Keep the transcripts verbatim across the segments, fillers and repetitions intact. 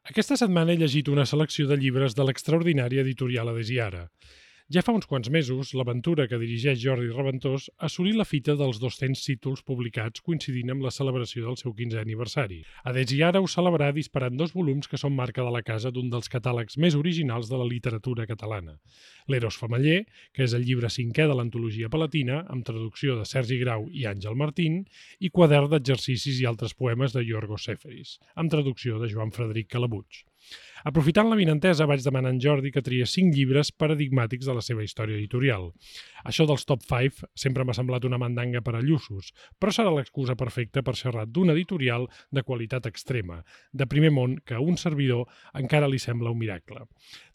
Aquesta setmana he llegit una selecció de llibres de l'extraordinària editorial Adesiara. Ja fa uns quants mesos, l'aventura que dirigeix Jordi Reventós assolí la fita dels dos-cents títols publicats coincidint amb la celebració del seu quinzè aniversari. Adesiara ho celebrarà disparant dos volums que són marca de la casa d'un dels catàlegs més originals de la literatura catalana. L'Eros Femeller, que és el llibre cinquè de l'antologia palatina, amb traducció de Sergi Grau i Àngel Martín, i Quadern d'exercicis i altres poemes de Yorgos Seferis, amb traducció de Joan Frederic Calabuig. Aprofitant l'avinentesa, vaig demanar a en Jordi que triés cinc llibres paradigmàtics de la seva història editorial. Això dels top cinc sempre m'ha semblat una mandanga per a lluços, però serà l'excusa perfecta per xerrar d'un editorial de qualitat extrema, de primer món, que a un servidor encara li sembla un miracle.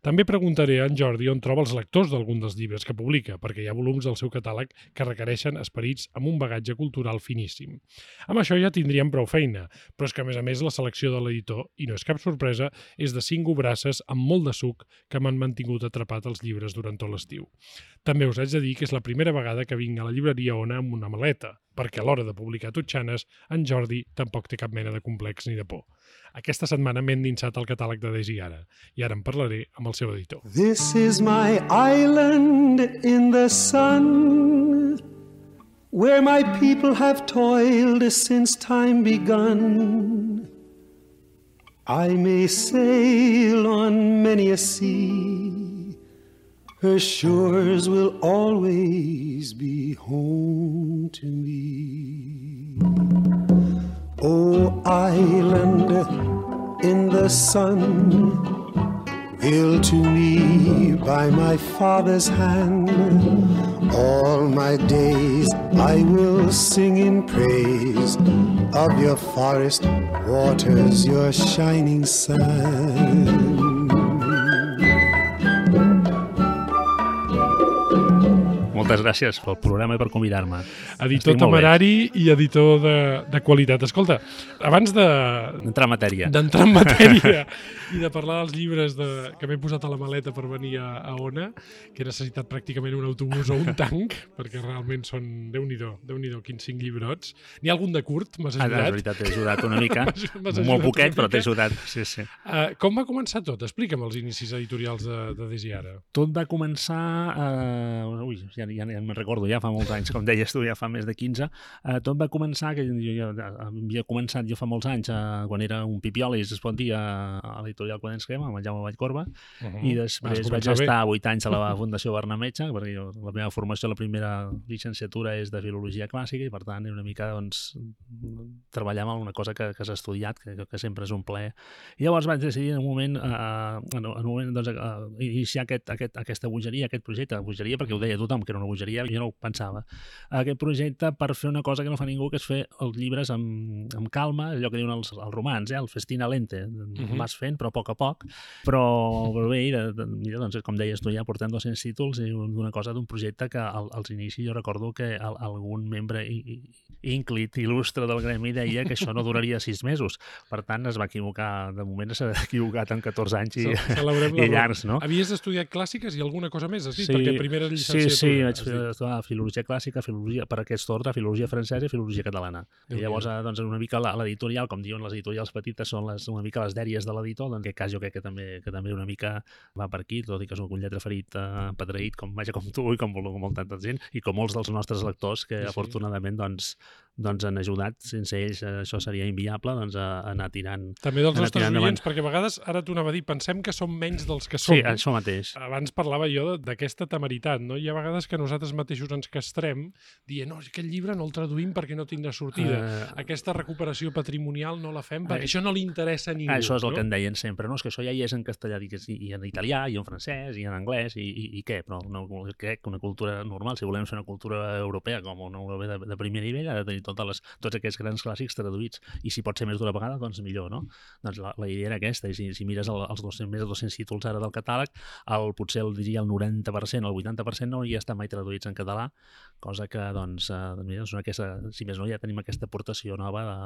També preguntaré a en Jordi on troba els lectors d'algun dels llibres que publica, perquè hi ha volums del seu catàleg que requereixen esperits amb un bagatge cultural finíssim. Amb això ja tindríem prou feina, però és que a més a més la selecció de l'editor, i no és cap sorpresa, és de cinc obrasses amb molt de suc que m'han mantingut atrapat els llibres durant tot l'estiu. També us haig de dir que és la primera vegada que vinc a la llibreria Ona amb una maleta, perquè a l'hora de publicar Totxanes, en Jordi tampoc té cap mena de complex ni de por. Aquesta setmana m'he endinsat al catàleg d'Adesiara, i ara en parlaré amb el seu editor. This is my island in the sun, where my people have toiled since time begun. I may sail on many a sea, her shores will always be home to me. Oh, island in the sun, built to me by my father's hand, all my days I will sing in praise of your forest waters, your shining sun. Moltes gràcies pel programa i per convidar-me. Editor temerari i editor de, de qualitat. Escolta, abans de... D'entrar en matèria. D'entrar en matèria i de parlar dels llibres de, que m'he posat a la maleta per venir a, a Ona, que he necessitat pràcticament un autobús o un tanc, perquè realment són, Déu-n'hi-do, Déu-n'hi-do, quins cinc llibrots. N'hi ha algun de curt? M'has ajudat? Ah, és veritat, t'he ajudat una mica. Molt poquet, però t'he ajudat. Sí, sí. Uh, com va començar tot? Explica'm els inicis editorials d'Adesiara. Tot va començar... Uh, ui, ja, ja, ja me'n recordo, ja fa molts anys, com deies tu, ja fa més de quinze. Uh, tot va començar, que jo, jo havia començat jo fa molts anys, uh, quan era un pipiolis, es pot dir, a, a l'editorial Quaderns Crema, amb el Jaume Vallcorba, uh -huh. i després vaig estar vuit anys a la Fundació Barnametge, perquè jo, la meva formació, la primera llicenciatura és de Filologia Clàssica, i per tant, una mica, doncs, treballar amb una cosa que, que has estudiat, que, que sempre és un plaer. I llavors vaig decidir en un moment, uh, en un moment doncs, uh, iniciar aquest, aquest, aquesta bogeria, aquest projecte, bogeria, perquè ho deia tothom, que era una bogeria, jo no ho pensava, aquest projecte per fer una cosa que no fa ningú, que és fer els llibres amb, amb calma, allò que diuen els, els romans, eh? El festina lente, uh-huh. Vas fent, però a poc a poc, però, però bé, de, de, mira, doncs, com deies tu, ja portem dos-cents títols i d'una cosa, d'un projecte que al, als inicis jo recordo que el, algun membre ínclit, il·lustre del gremi deia que això no duraria sis mesos, per tant es va equivocar, de moment s'ha equivocat en catorze anys i, i llargs, no? Havies estudiat clàssiques i alguna cosa més, has dit? Sí, perquè primera llicenciatura. Sí, sí, vaig estudiar filologia clàssica, filologia, per aquest ordre, filologia francesa i filologia catalana. I llavors, doncs, una mica l'editorial, com diuen les editorials petites, són les, una mica les dèries de l'editor, en aquest cas jo crec que també, que també una mica va per aquí, tot i que soc un lletraferit eh, pedreït, com, vaja, com tu i com, com molta gent, i com molts dels nostres lectors que, sí, afortunadament, doncs, doncs han ajudat. Sense ells eh, això seria inviable, doncs, a, a anar tirant. També dels nostres oients, perquè a vegades, ara t'ho anava a dir, pensem que som menys dels que som. Sí, això mateix. Abans parlava jo d'aquesta temeritat, no? Hi ha vegades que nosaltres mateixos ens castrem dient, no, aquest llibre no el traduïm perquè no tindrà sortida. Uh, Aquesta recuperació patrimonial no la fem perquè uh, això no li interessa a ningú. Això és el no? que en deien sempre, no? És que això ja hi és en castellà, i en italià, i en francès, i en anglès, i, i, i què? Però no, crec que una cultura normal, si volem ser una cultura europea com una europea de, de primer nivell, ha de tenir totes les, tots aquests grans clàssics traduïts. I si pot ser més d'una vegada, doncs millor, no? Doncs la, la idea era aquesta, i si, si mires el, els dos-cents, més de dos-cents títols ara del catàleg, el, potser el diria el noranta per cent, el vuitanta per cent no hi estan mai traduïts en català, cosa que, doncs, eh, doncs aquesta, si més no, ja tenim aquesta aportació nova de,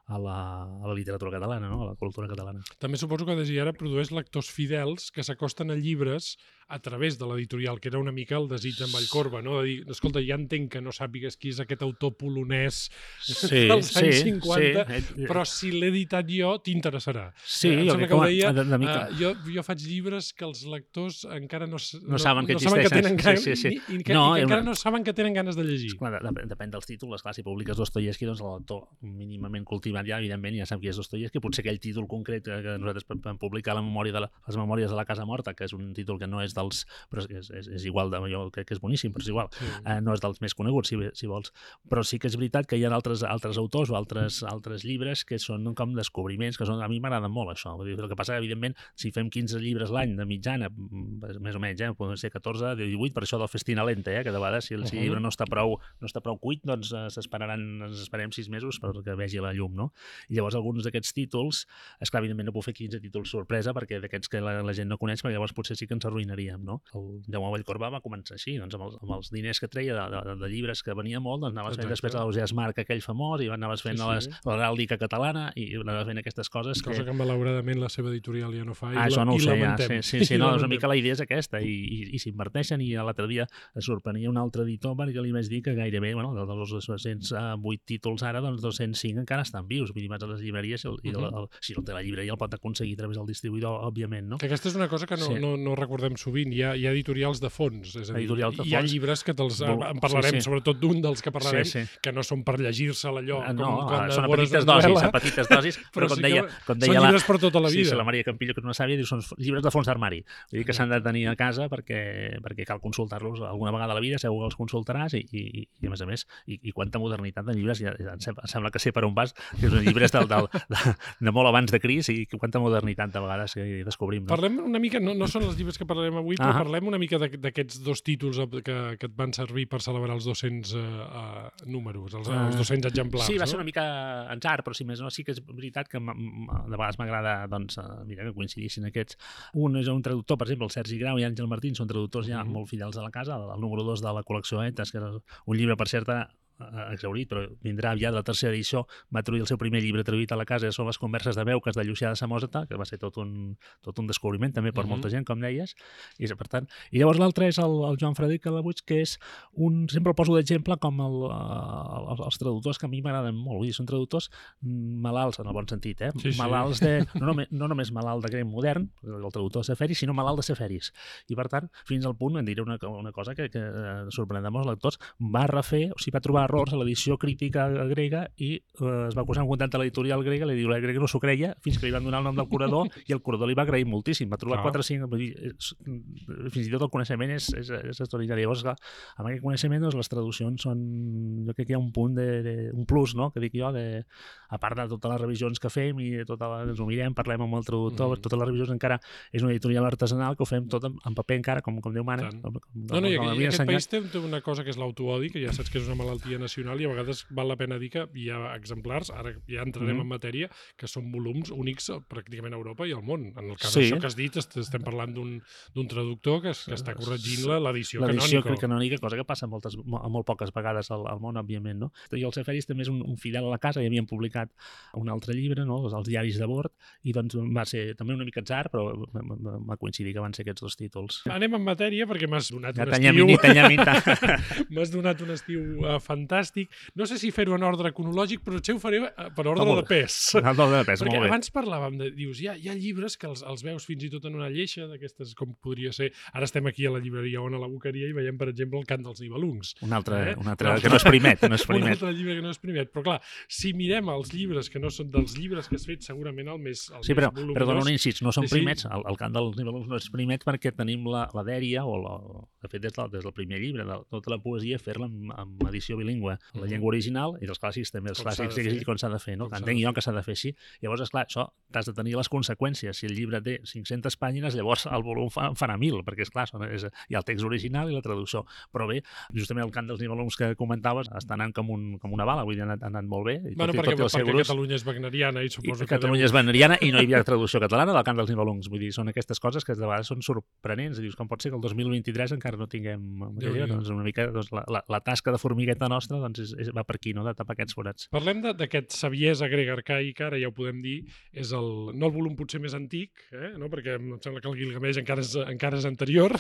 a la, a la literatura catalana, no? A la cultura catalana. També suposo que Desiara produeix lectors fidels que s'acosten a llibres a través de l'editorial, que era una mica el desig d'en Vallcorba, no? De dir, escolta, ja entenc que no sàpigues qui és aquest autor polonès sí, dels sí, anys cinquanta, sí. però si l'he editat jo, t'interessarà. Sí, eh, em sembla que ho deia, de, de mica... uh, jo, jo faig llibres que els lectors encara no, no, no saben que no saben existeixen. Que tenen ganes, sí, sí, sí. Ni, i que, no, i que encara una... no saben que tenen ganes de llegir. Esclar, de, depèn dels títols, clar, si publiques Dostoievski, doncs el lector mínimament cultivat ja, evidentment, ja sap qui és Dostoievski, potser aquell títol concret que, que nosaltres vam publicar la memòria de la, les memòries de la Casa Morta, que és un títol que no és dels... però és, és, és igual, de, jo crec que és boníssim, però és igual, sí. eh, no és dels més coneguts, si, si vols, però sí que és veritat que hi ha altres, altres autors o altres, altres llibres que són com descobriments, que són, a mi m'agraden molt això. Vull dir, el que passa, evidentment, si fem quinze llibres l'any de mitjana, més o menys, eh, poden ser catorze, divuit, per això del festina lenta, eh, que de vegades si el uh -huh. llibre no està prou, no està prou cuit, doncs eh, s'esperaran, ens esperem sis mesos perquè vegi la llum, no? I llavors alguns d'aquests títols, esclar, evidentment no puc fer quinze títols sorpresa perquè d'aquests que la, la gent no coneix, perquè llavors potser sí que ens arruïnaríem, no? El Jaume Vallcorba va començar així, doncs amb els, amb els diners que treia de, de, de llibres que venia molt, doncs anaves fent després l'Ausiàs Marc aquell famós i anaves fent sí, sí. l'heràldica catalana i anaves fent aquestes coses cosa que, que malauradament la seva editorial ja no fa i, ah, la, no i sé, lamentem. Ja, sí, sí, sí no, una mica la idea és aquesta i, i, i s'inverteixen i l'altre dia es sorprenia un altre editor perquè li vaig dir que gairebé, bueno, dels dos-cents vuit títols ara, doncs dos-cents cinc encara estan vius, vull dir, vas a les llibreries i, el, i el, el, si no té la llibreria el pot aconseguir a través del distribuïdor, òbviament, no? Que aquesta és una cosa que no, sí. no, no recordem sovint, hi ha, hi ha editorials de fons, és a dir, editorials de fons. Hi ha llibres que te'ls en parlarem, sí, sí. sobretot d'un dels que parlarem, sí, sí. que no són per llegir-se allò no, com quan són a petites dosis, a petites dosis, però, però com sí deia, com deia són la, llibres per tota la vida. Sí, sí, la Maria Campillo, que és una sàvia, diu, són llibres de fons d'armari, vull dir que s'han de tenir a casa perquè, perquè cal consultar-los alguna vegada a la vida, segur que els consultaràs i, i, i a més a més, i, i quanta modernitat de llibres, ja, ja em sembla que sé per on vas, que són llibres del, del, de, de molt abans de Cris i quanta modernitat de vegades que descobrim. No? Parlem una mica, no, no són els llibres que parlarem avui, però ah parlem una mica d'aquests dos títols que, que et van servir per celebrar els dos-cents uh, uh, números, els, uh, els dos-cents exemplars. Sí, va no? ser una mica entzar, però si més no, sí que és veritat que de vegades m'agrada doncs, mira, que coincidissin aquests. Un és un traductor, per exemple, el Sergi Grau i Àngel Martín, són traductors ja mm -hmm. molt fidels a la casa, el número dos de la col·lecció Etes, que era un llibre, per cert, exhaurit, però vindrà aviat la tercera edició, va traduir el seu primer llibre traduït a la casa, són les converses de Beuques de Llucià de Samòsata, que va ser tot un, tot un descobriment també per uh -huh. molta gent, com deies, i per tant, i llavors l'altre és el, el Joan Frederic Calabuig, que és un, sempre el poso d'exemple com el, el, els traductors que a mi m'agraden molt, vull dir, són traductors malalts, en el bon sentit, eh? Sí, malalts sí. de, no, només, no només malalt de grec modern, el traductor de Seferis, sinó malalt de Seferis, i per tant, fins al punt, em diré una, una cosa que, que sorprèn de molts lectors, va refer, o sigui, va trobar errors a l'edició crítica grega i eh, es va posar en contacte a l'editorial grega, l'editorial grega no s'ho creia, fins que li van donar el nom del curador i el curador li va agrair moltíssim, va trobar quatre o cinc, fins i tot el coneixement és, és, és extraordinari. Llavors, clar, amb aquest coneixement doncs, les traduccions són, jo crec que hi ha un punt de, de un plus, no?, que dic jo, de, a part de totes les revisions que fem i de tota la, ens ho mirem, parlem amb el traductor, mm. totes les revisions encara és una editorial artesanal que ho fem tot en, en paper encara, com, com Déu mana. Com, com, no, no, i, com i aquest país té, té una cosa que és l'autoodi, que ja saps que és una malaltia nacional i a vegades val la pena dir que hi ha exemplars, ara ja entrarem mm. en matèria, que són volums únics pràcticament a Europa i al món. En el cas sí. d'això que has dit, estem parlant d'un traductor que, que està corregint l'edició canònica. L'edició canònica, cosa que passa moltes, molt poques vegades al, al món, òbviament, no? I el Seferis també és un, un fidel a la casa, i havien publicat un altre llibre, no?, els diaris de bord, i doncs va ser també una mica atzar, però va coincidir que van ser aquests dos títols. Anem en matèria, perquè m'has donat ja un estiu... M'has donat un estiu uh, fantàstic. No sé si fer-ho en ordre cronològic, però potser ho faré per ordre oh, de pes. En ordre de pes, perquè molt bé. Abans parlàvem de... Dius, hi ha, hi ha llibres que els, els veus fins i tot en una lleixa, d'aquestes com podria ser... Ara estem aquí a la llibreria o a la Boqueria i veiem, per exemple, el Cant dels Nibelungs. Un altre, eh? un altre que no és primet. No és primet. Un altre llibre que no és primet. Però clar, si mirem els llibres que no són dels llibres que has fet, segurament el més el Sí, però, més però dona un incís, no són primets. El, el Cant dels Nibelungs no és primet perquè tenim la, la dèria, o la, de fet des del, des del primer llibre, de tota la poesia, fer-la en, en edició bilingüe, en la llengua original, i dels clàssics també, els clàssics és com s'ha de fer, no? Entenc jo que s'ha de fer així. Llavors, esclar, això t'has de tenir les conseqüències. Si el llibre té cinc-centes pàgines, llavors el volum fa, farà mil, perquè, esclar, és, hi ha el text original i la traducció. Però bé, justament el Cant dels Nibelungs que comentaves està anant com, un, com una bala, vull dir, ha anat, ha anat molt bé. Bueno, tot, perquè, tot perquè grups, Catalunya és wagneriana i suposo i, que Catalunya deu... és wagneriana i no hi havia traducció catalana del Cant dels Nibelungs. Vull dir, són aquestes coses que de vegades són sorprenents. Dius, com pot ser que el dos mil vint-i-tres encara no tinguem... Doncs una mica doncs, la, la, la tasca de formigueta nostra nostra doncs és, és, va per aquí, no?, de tapar aquests forats. Parlem d'aquest saviesa grega arcaica, ara ja ho podem dir, és el, no el volum potser més antic, eh? no? Perquè em sembla que el Gilgamesh encara és, encara és anterior.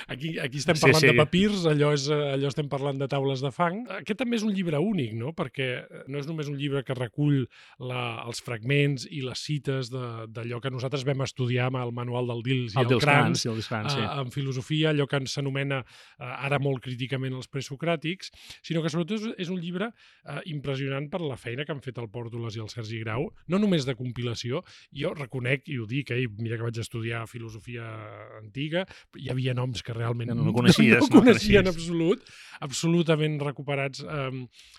Aquí, aquí estem parlant sí, sí. de papirs, allò, és, allò estem parlant de taules de fang. Aquest també és un llibre únic, no? Perquè no és només un llibre que recull la, els fragments i les cites d'allò que nosaltres vam estudiar amb el manual del Dils i el, el Krans, el Krans sí. en filosofia, allò que s'anomena ara molt críticament els presocràtics, sinó que sobretot és, és un llibre eh, impressionant per la feina que han fet el Pòrtoles i el Sergi Grau, no només de compilació. Jo reconec, i ho dic, eh, mira que vaig estudiar filosofia antiga, hi havia noms que realment no, no coneixies, no, no coneixia en absolut, absolutament recuperats eh,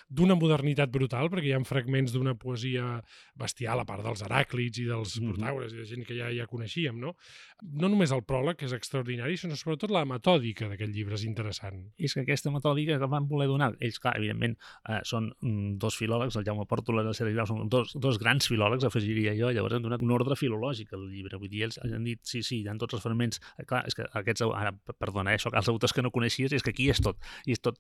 d'una modernitat brutal, perquè hi ha fragments d'una poesia bestial, a part dels Heràclits i dels mm-hmm. Protaures i de gent que ja, ja coneixíem, no? No només el pròleg, que és extraordinari, sinó sobretot la metòdica d'aquest llibre és interessant. I és que aquesta metòdica que van voler donar, ells, clar, evidentment, eh, són dos filòlegs, el Jaume Pòrtoles i el Sergi Grau, són dos, dos grans filòlegs, afegiria jo, llavors han donat un ordre filològic al llibre, vull dir, ells han dit, sí, sí, hi ha tots els fragments, clar, és que aquests, ara, perdona, eh, això, els autors que no coneixies, és que aquí és tot, i és tot,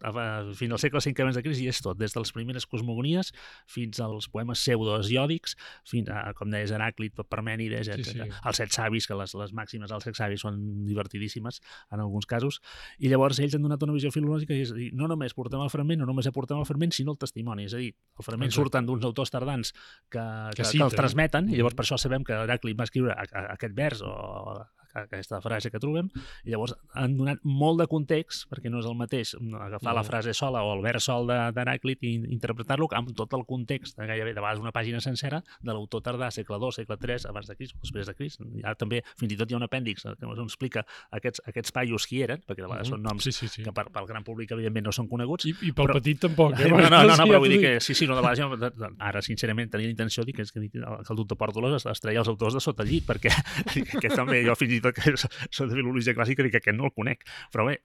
fins al segle cinc abans de Crist, i és tot, des de les primeres cosmogonies fins als poemes pseudohesiòdics, fins a, com deies, Heràclit, Parmènides, sí, sí. els set savis, que les, les màximes dels set savis són divertidíssimes en alguns casos, i llavors ells han donat una visió filològica, és a dir, no només portem el fragment, no només aportem el fragment, sinó el testimoni, és a dir, el fragment Exacte. surten d'uns autors tardans que, que, que, que els transmeten, i llavors per això sabem que Heràclit va escriure aquest vers o aquesta frase que trobem, i llavors han donat molt de context, perquè no és el mateix agafar no. la frase sola o el vers sol d'Heràclit i interpretar-lo amb tot el context, gairebé de vegades una pàgina sencera, de l'autor tardà, segle dos, segle tres, abans de Crist o després de Crist. Ja també, fins i tot hi ha un apèndix que ens explica aquests, aquests paios qui eren, perquè de vegades uh -huh. són noms sí, sí, sí. que per, pel gran públic evidentment no són coneguts. I, i pel però... petit tampoc. Eh? No, no, no, no, però vull dir que sí, sí, no, de vegades jo, ara sincerament tenia la intenció de dir que, que el doctor Pòrtoles es, es treia els autors de sota el llit, perquè que també jo fins i tot que de filologia clàssica, dic que aquest no el conec, però bé,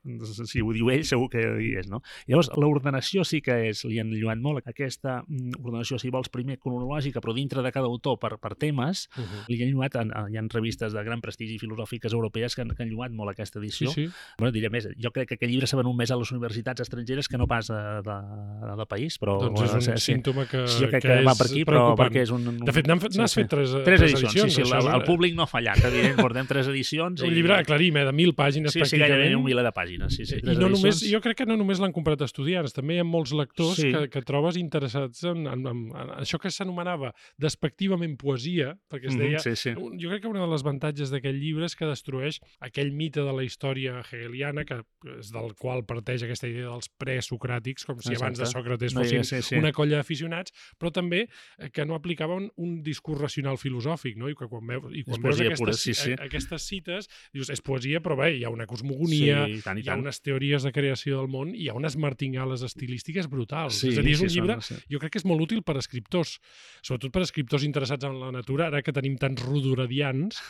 si ho diu ell segur que hi és, no? Llavors, l'ordenació sí que és, li han lluat molt, aquesta ordenació, si vols, primer cronològica, però dintre de cada autor per, per temes, uh -huh. li han lluat, en, hi ha revistes de gran prestigi filosòfiques europees que han, que han lluat molt aquesta edició. Sí, sí. Bueno, diré més, jo crec que aquest llibre s'ha venut més a les universitats estrangeres que no pas de, de, de país, però... Doncs és un sí, símptoma que, sí, jo crec que, que és va per aquí, però perquè és un... un de fet, n'has sí, sí. fet tres, tres, tres edicions. edicions Sí, sí, el, el públic no ha fallat, evident, portem tres edicions. Un i... llibre, aclarim, eh, de mil pàgines sí, pràcticament. Sí, gairebé un miler de pàgines. Sí, sí, I no només, jo crec que no només l'han comprat estudiants, també hi ha molts lectors sí. que, que trobes interessats en, en, en, en això que s'anomenava despectivament poesia, perquè es deia... Mm -hmm, sí, sí. Jo crec que una de les avantatges d'aquest llibre és que destrueix aquell mite de la història hegeliana, que és del qual parteix aquesta idea dels presocràtics, com si Exacte. abans de Sòcrates fossin no, sí, sí. una colla d'aficionats, però també que no aplicaven un discurs racional filosòfic, no? I que quan, veu, i quan veus aquestes, pura, sí, sí. aquestes cites, dius, és poesia, però bé, hi ha una cosmogonia, sí, tant, hi ha unes teories de creació del món, hi ha unes martingales estilístiques brutals. Sí, és a dir, és un sí, llibre, són, sí. jo crec que és molt útil per a escriptors, sobretot per a escriptors interessats en la natura, ara que tenim tants rodoredians,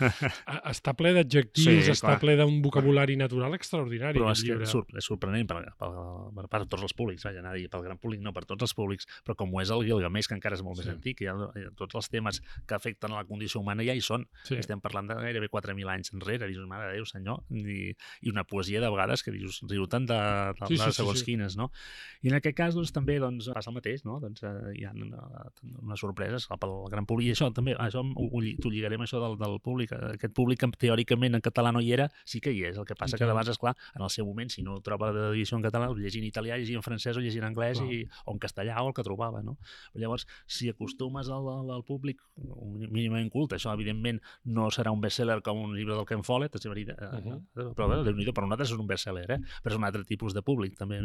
està ple d'adjectius, sí, està clar. ple d'un vocabulari natural extraordinari. Però és, que és sorprenent per, per, per, per tots els públics, vaja, anar a dir, pel gran públic no, per tots els públics, però com ho és el Gilgamesh, que encara és molt sí. més antic, hi ha, hi ha tots els temes que afecten a la condició humana ja hi són. Sí. Estem parlant de gairebé quatre mil anys enrere, dius, mare de Déu, senyor, i, i una poesia de vegades que dius, riu-te'n de, de, sí, sí, de segons sí, sí. quines, no? I en aquest cas, doncs, també doncs, passa el mateix, no? Doncs, eh, hi ha unes sorpreses pel gran públic, i això també, això t'ho lligaré amb això del, del públic, aquest públic que teòricament en català no hi era, sí que hi és, el que passa okay. que de vegades, esclar, en el seu moment, si no troba l'edició en català, llegint en italià, llegint en francès o llegint en anglès, i, o en castellà o el que trobava, no? Però llavors, si acostumes al, al, al públic mínimament culte, això evidentment no serà un best-seller com un llibre del Ken Follett, és veritat, uh -huh. però bé, Déu-n'hi-do, per nosaltres és un best-seller, eh? Però és un altre tipus de públic, també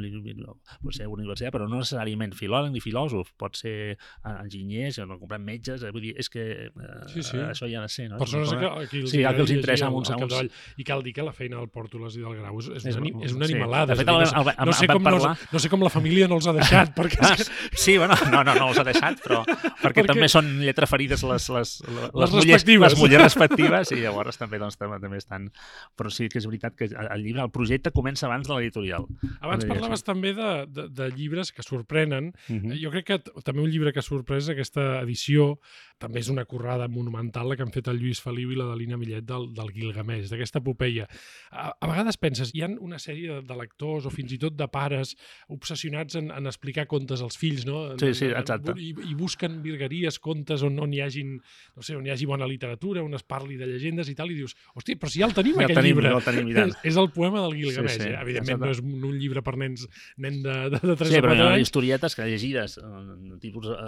pot ser universitat, però no necessàriament filòleg ni filòsof, pot ser enginyers, no comprant metges, vull dir, és que eh, sí, sí. això hi ha de ser, no? Persones que, que els, sí, que els interessa uns a uns. I cal dir que la feina del Pòrtoles i del Grau és, és, una, és una sí. animalada. De fet, el, el, el, no, sé com parlar... no, no sé com la família no els ha deixat. Perquè ah, sí, bueno, no, no, no els ha deixat, però perquè, perquè també són lletra ferides les, les, les, les, les, mullers, les mullers respectives i llavors també doncs, també, també estan... Però sí que és veritat que el llibre, el projecte comença abans de l'editorial. Abans parlaves també de, de, de llibres que sorprenen. Uh-huh. Jo crec que també un llibre que ha sorprès aquesta edició, també és una currada monumental la que han fet el Lluís Feliu i la de l'Ina Millet del, del Gilgamesh, d'aquesta epopeia. A, a vegades penses, hi ha una sèrie de, de lectors o fins i tot de pares obsessionats en, en explicar contes als fills, no? Sí, sí, exacte. I, i busquen virgueries, contes on, on hi hagin, no sé, on hi hagi bona literatura, on es parli de llegendes i tal, i dius, hosti, però si ja el tenim, ja aquest tenim, llibre. Ja el tenim, és, és el poema del Gilgamesh, sí, sí, eh? Evidentment no és un llibre per nens nen de, de, de tres sí, o quatre anys. Sí, però historietes que llegides, tipus uh,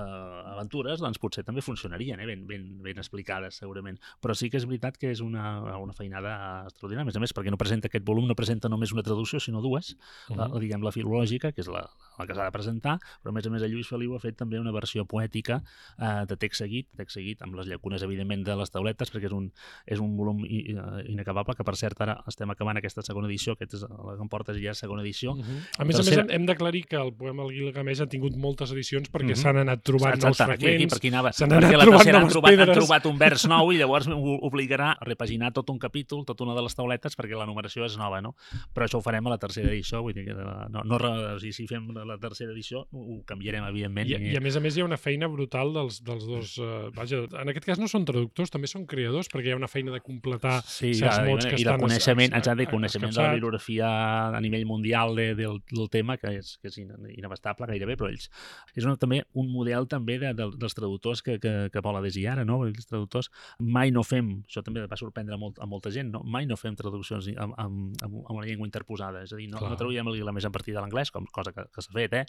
aventures, doncs potser també funcionarien, eh? ben, ben, ben explicades, segurament. Però sí que és veritat que és una, una feinada extraordinària. A més a més, perquè no presenta aquest volum, no presenta només una traducció, sinó dues, uh-huh. la, diguem, la filològica, que és la, la que s'ha de presentar, però a més a més el Lluís Feliu ha fet també una versió poètica eh, de text seguit, text seguit, amb les llacunes, evidentment, de les tauletes, perquè és un, és un volum inacabable, que per cert ara estem acabant aquesta segona edició, aquest és la que em portes ja segona edició. Uh-huh. A més Tercera... a més, hem d'aclarir que el poema del Gilgamesh ha tingut moltes edicions perquè uh-huh. s'han anat trobant nous fragments, aquí, aquí, per aquí anava. s'han anat trobant han noves trobat, pedres. Han trobat un vers nou i llavors obligarà a repaginar tot un capítol, tota una de les tauletes, perquè la numeració és nova, no? Però això ho farem a la tercera edició, vull dir que no, no, o sigui, si fem la tercera edició ho canviarem, evidentment. I, i a més a més hi ha una feina brutal dels, dels dos... Uh, vaja, en aquest cas no són traductors, també són creadors, perquè hi ha una feina de completar sí, certs ja, mots que i estan... I el coneixement, a, a, a, coneixement de la bibliografia a nivell mundial de, del, del tema, que és, que és inabastable gairebé, però ells... És una, també un model també de, de, dels traductors que, que, que vol adherir ara, no? Els traductors mai no fem, això també va sorprendre a, molt, a molta gent, no? Mai no fem traduccions amb, amb, amb una llengua interposada, és a dir, no, no traduïm el Gilgamesh a partir de l'anglès, com cosa que, que s'ha fet, eh?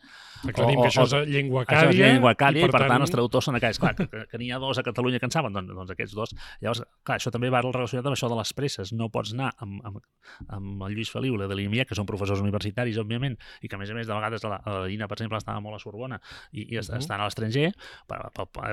Aclarim que això és llengua acàdia. Això és llengua acàdia i, per, i per tant, tant els traductors són aquells. Clar, que, que, que n'hi ha dos a Catalunya que en saben, doncs, doncs aquests dos. Llavors, clar, això també va relacionat amb això de les presses. No pots anar amb, amb, amb el Lluís Feliu, la de l'Imia, que són professors universitaris, òbviament, i que, a més a més, de vegades la, la Dina, per exemple, estava molt a Sorbona i, i uh-huh. estan a l'estranger,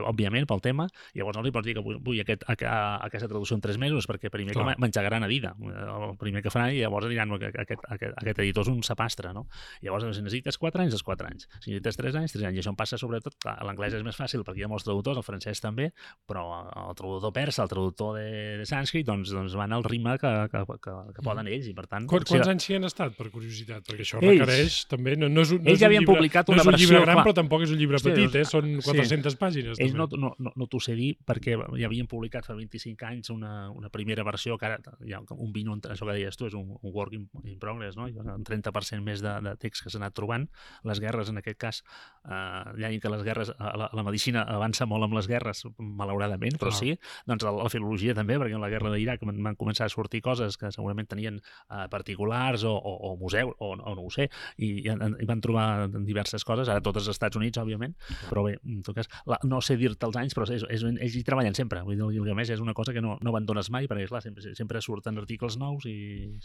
òbviament, pel tema. Llavors no li pots dir que vull, vull aquest, a, a, aquesta traducció en tres mesos, perquè primer clar. que m'engegaran a Dida. El primer que faran, i llavors diran que aquest, aquest, aquest editor és un sapastre, no? Llavors, si necessites quatre anys, és quatre anys. Si necessites tres anys, tres anys. I això em passa sobretot, clar, l'anglès és més fàcil perquè hi ha molts traductors, el francès també, però el traductor persa, el traductor de, de sànscrit, doncs, doncs van al ritme que, que, que, que poden ells, i per tant... Quants, quants anys hi han estat, per curiositat? Perquè això ells, requereix també... No, no és un, no ells és un havien llibre, publicat una una versió... No és un llibre gran, clar. Però tampoc és un llibre Hòstia, petit, eh? Són quatre-centes sí. pàgines. Ells també. no, no, no t'ho sé dir perquè ja havien publicat fa vint-i-cinc anys una, una primera versió que ara hi ha un vint, això que deies tu, és un, un work in, in progress, no? Hi ha un trenta per cent més de, de text que s'ha anat trobant. Les guerres, en aquest cas, eh, ja que les guerres, la, la medicina avança molt amb les guerres, malauradament, però clar. Sí, doncs la, la filologia també, perquè en la guerra d'Iraq van, van començar a sortir coses que segurament tenien eh, particulars o, o, o museu, o, o no ho sé, i, i, i van trobar diverses coses, ara totes als Estats Units, òbviament, però bé, en tot cas, la, no sé dir-te els anys, però és, és, ells hi treballen sempre, vull dir, el Gilgamesh és una cosa que no, no abandones mai, perquè clar, sempre, sempre surten articles nous i...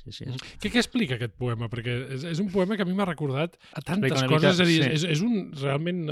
Sí, sí, és... Què, què explica aquest poema? Perquè és, és un poema que a mi m'ha recordat a tantes coses, mica, és a dir, sí. és, és un, realment,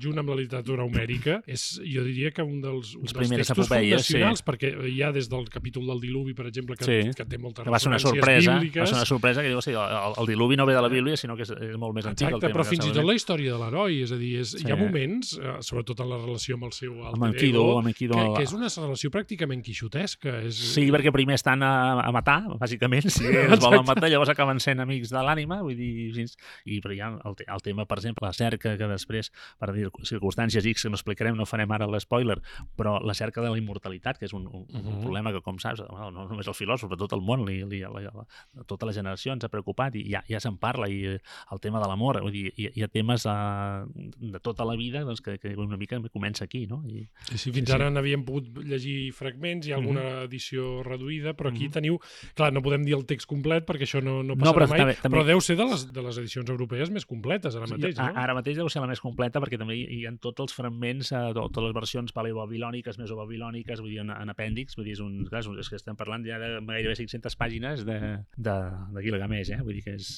junt amb la literatura homèrica, és, jo diria que un dels, un dels textos fundacionals, sí. perquè hi ha des del capítol del Diluvi, per exemple, que, sí. que té moltes va referències sorpresa, bíbliques. Va ser una sorpresa que diu, sí, el, el Diluvi no ve de la Bíblia, sinó que és, és molt més antic. Exacte, el tema, però fins i tot la història de l'heroi, és a dir, és, sí. hi ha moments, sobretot en la relació amb el seu alter ego, que, que és una relació pràcticament quixotesca. És... Sí, perquè primer estan a, a matar, bàsicament, si els volen matar, llavors acaben sent amics de l'ànima, vull dir, i però hi ha el, el tema, per exemple, la cerca, que després, per dir circumstàncies X, que no explicarem, no farem ara l'espoiler, però la cerca de la immortalitat, que és un, un, un uh-huh. problema que, com saps, no, no només el filòsof, però tot el món, li, li, la, la, tota la generació ens ha preocupat i ja, ja se'n parla, i el tema de l'amor, vull dir, hi, hi ha temes uh, de tota la vida doncs, que, que una mica comença aquí, no? I, sí, sí, fins sí, ara sí. n'havíem pogut llegir fragments, hi ha alguna uh-huh. edició reduïda, però aquí uh-huh. teniu... Clar, no podem dir el text complet perquè això no, no passarà no, però mai, també, també... però deu ser de les, de les edicions europees més completes ara mateix, no? Ara mateix deu ser la més completa perquè també hi ha tots els fragments, eh, totes les versions paleobabilòniques, mesobabilòniques, vull dir, en, en apèndix, vull dir, és, un, clar, és que estem parlant ja de gairebé cinc-centes pàgines de, de, de Gilgamesh, eh? Vull dir que és...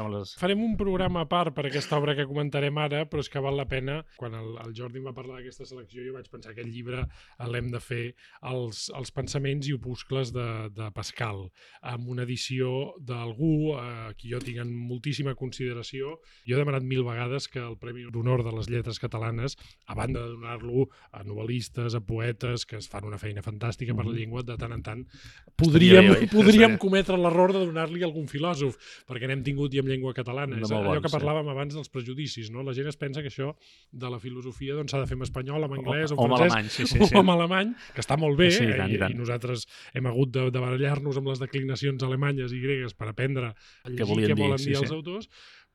Les... Farem un programa a part per aquesta obra que comentarem ara, però és que val la pena. Quan el, el Jordi em va parlar d'aquesta selecció, jo vaig pensar que aquest llibre l'hem de fer els, els pensaments i opuscles de, de Pascal, amb una edició d'algú a qui jo tinc en moltíssima consideració. Jo he demanat mil vegades que el Premi d'Honor de les Lletres Catalanes, a banda de donar-lo a novel·listes, a poetes, que es fan una feina fantàstica per la llengua, de tant en tant podríem, bé, bé. podríem cometre l'error de donar-li algun filòsof, perquè n'hem tingut i en llengua catalana. De És molt allò bons, que parlàvem abans dels prejudicis, no? La gent es pensa que això de la filosofia doncs, s'ha de fer en espanyol, en anglès, o, o en o francès, alemany, sí, sí, sí. o en alemany, que està molt bé, Sí, i eh? tant, i I, tant. i nosaltres hem hagut de, de barallar-nos amb les declinacions alemanyes i gregues per aprendre a llegir què, què volen dir sí, els sí. autors,